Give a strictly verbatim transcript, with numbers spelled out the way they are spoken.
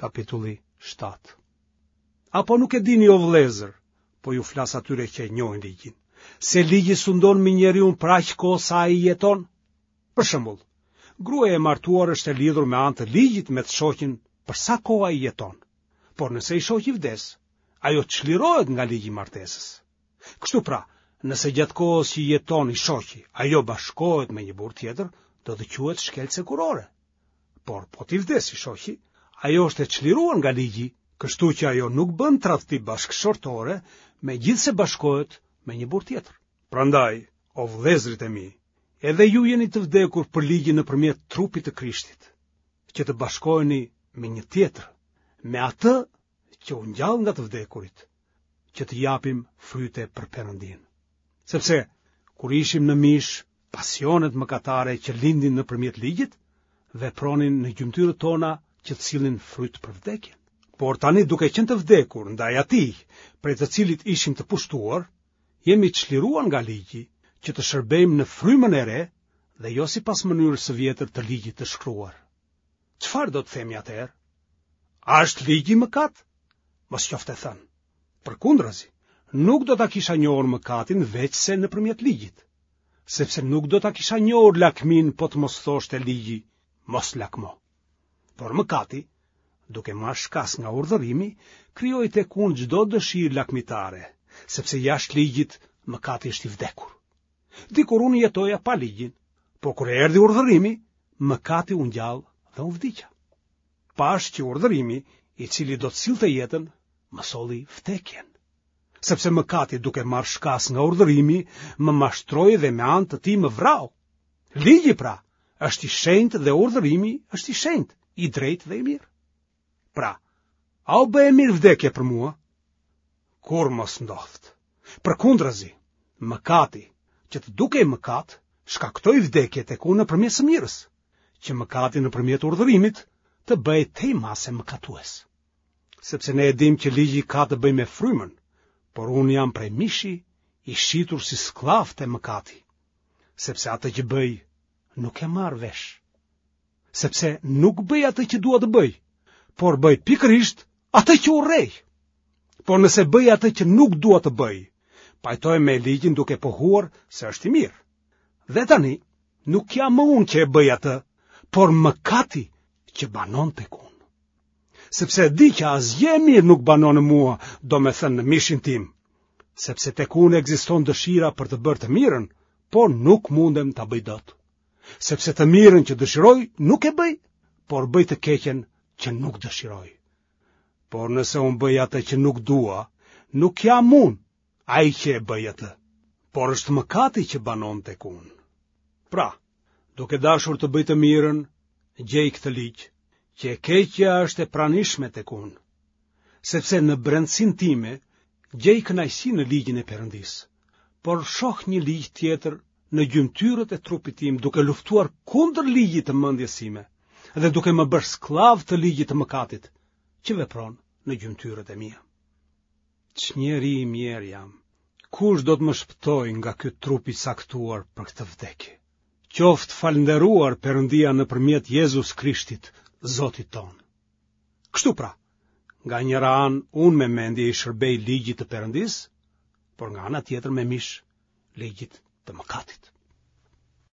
kapitulli shtatë. Apo nuk e dini o vëllezër, po ju flas atyre që e njohin ligjin, se ligji sundon mbi njeriun për aq kohë sa ai jeton? Për shembull, gruaja e martuar është e lidhur me anë të ligjit me të shoqin për sa kohë ai jeton. Por nëse i shoqi vdes, ajo çlirohet nga ligji i martesës. Kështu pra, nëse gjatë kohës që jeton i shoqi, ajo bashkohet me një burrë tjetër, do të quhet shkelëse kurore. Por po t'i vdesë i shoqi, ajo është e çliruar nga ligji, kështu që ajo nuk bën tradhti bashkëshortore, megjithëse bashkohet me një burrë tjetër. Prandaj, o vëllezërit e mi, edhe ju jeni të vdekur për ligjin nëpërmjet trupit të Krishtit, që të bashkoheni me një tjetër, me atë që u ngjall nga të vdekurit, që të japim fryte për Perëndinë. Sepse, kur ishim në mish, pasionet mëkatare që lindin nëpërmjet ligjit, vepronin në gjymtyrët tona që të sillnin fryt për vdekjen. Por tani duke qenë të vdekur ndaj atij, prej të cilit ishim të pushtuar, jemi çliruar nga ligji që të shërbejmë në frymën e re dhe jo sipas mënyrës së vjetër të ligjit të shkruar. Çfarë do të themi atëherë? A është ligji mëkat? Mos qoftë e thënë. Përkundrazi, nuk do ta kisha njohur mëkatin veçse nëpërmjet ligjit, sepse nuk do ta kisha njohur lakminë po të mos thoshte ligji, mos lakmo. Por mëkati, duke marrë shkas nga urdhërimi, krijoi tek unë çdo dëshirë lakmitare, sepse jashtë ligjit mëkati është i vdekur. Dikur unë jetoja pa ligjin, por kur erdhi urdhërimi, mëkati u ngjall dhe unë vdiqa. Pashë që urdhërimi, i cili do të sillte jetën, më solli vdekjen. Sepse mëkati duke marrë shkas nga urdhërimi, më mashtroi dhe me anë të tij më vrau. Ligji pra, është i shenjtë dhe urdhërimi është i shenjtë, i drejtë dhe i mirë. Pra, a u bë e mirë vdekja për mua? Kurrë mos ndodhtë. Përkundrazi, mëkati, që të dukej mëkat, shkaktoi vdekje tek unë nëpërmjet së mirës, që mëkati nëpërmjet urdhërimit të bëhej tej mase mëkatues. Sepse ne e dimë që ligji ka të bëjë me frymën, por unë jam prej mishi i shitur si skllav te mëkati, sepse atë që bëj nuk e marr vesh. Sepse nuk bëj atë që dua të bëj, por bëj pikërisht atë që urrej. Por nëse bëj atë që nuk dua të bëj, pajtohem me ligjin duke pohuar se është i mirë. Dhe tani, nuk jam më unë që e bëj atë, por mëkati që banon tek unë. Sepse e di që asgjë e mirë nuk banon në mua, domethënë në mishin tim, sepse tek unë ekziston dëshira për të bërë të mirën, por nuk mundem ta bëj dot. Sepse të mirën që dëshiroj nuk e bëj, por bëj të keqen që nuk dëshiroj. Por nëse unë bëj atë që nuk dua, nuk jam unë ai që e bëj atë, por është mëkati që banon tek unë. Pra, duke dashur të bëj të mirën, gjej këtë ligj, që e keqja është e pranishme tek unë, sepse në brendësinë time gjej kënaqësi në ligjin e Perëndisë, por shoh një ligj tjetër në gjymtyrët e trupit tim duke luftuar kundër ligjit të mendjes sime dhe duke më bërë skllav të ligjit të mëkatit që vepron në gjymtyrët e mia. Ç'njeri i mjerë jam. Kush do të më shpëtojë nga ky trup i caktuar për këtë vdekje? Qoftë falënderuar Perëndia nëpërmjet Jezus Krishtit, Zotit tonë. Kështu pra, nga njëra anë unë me mendje i shërbej ligjit të Perëndisë, por nga ana tjetër me mish ligjit të mëkatit.